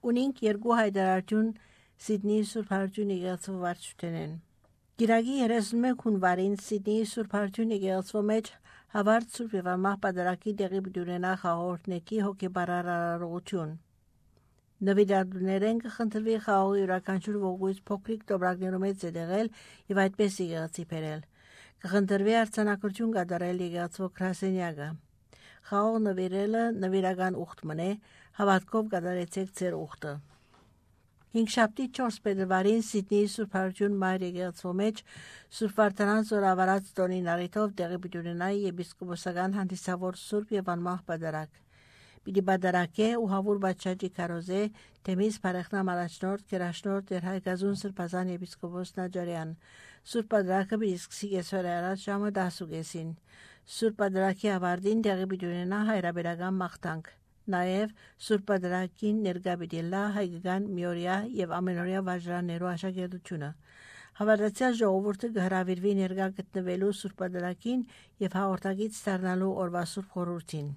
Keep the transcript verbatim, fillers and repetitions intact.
ունենք երկու հայտարարություն Սիդնեի Սուրբ Հարություն եկեղեցու վարչությունեն։ Գիրագի երեսունմեկ հունվարին Սիդնեի Սուրբ Հարություն եկեղեցու մեջ հավարտ Սուրբ եւ Անմահ Պատարագի տեղի բդյունենա խաղորդնեկի հոգեբարար արարողություն։ Նվիրատուներեն կխնդրվի խաղողի յուրաքանչյուր ողույց փոքրիկ տոբրակներում է ձեդեղել եւ այդպես եկեղեցի բերել։ Կխնդրվի արձանագրություն կատարել եկեղեցու գրասենյակը։ Խաղող նվիրելը նվիրական ուխտ մնե, հավատքով կատարեցեք ձեր ուխտը։ Հինգշաբթի չորս փետրվարին Սիդնեի Սուրբ Հարություն Մայր եկեղեցու մեջ Սուրբ Վարդանանց զորավարած տոնին առիթով տեղի բդյունենայի եպիսկոպոսական հանդիսավոր Սուրբ եւ Անմահ Պատարագ։ Պիտի բادرակե ու հավուր բաճաճի կարոզե Թեմիս Փարեխնամ առաջնորդ Գերաշնորհ Տեր Հայգազուն Սրբազան եպիսկոպոս Նաջարյան։ Սուրբ Պատարագը պիտի սկսի կեսօր առաջ ժամը դասուկեսին։ Սուրբ Պատարագի ավարտին տեղի բդյունենա հայրաբերական մաղթանք։ Նաև Սուրբ Պատարագին ներկա պիտի լա հայկական միօրյա եւ ամենօրյա վարժարաններու աշակերտությունը։ Հավատացյալ ժողովուրդը կհրավիրվի ներկա գտնվելու Սուրբ Պատարագին եւ հաղորդակից դառնալու օրվա Սուրբ խորհրդին։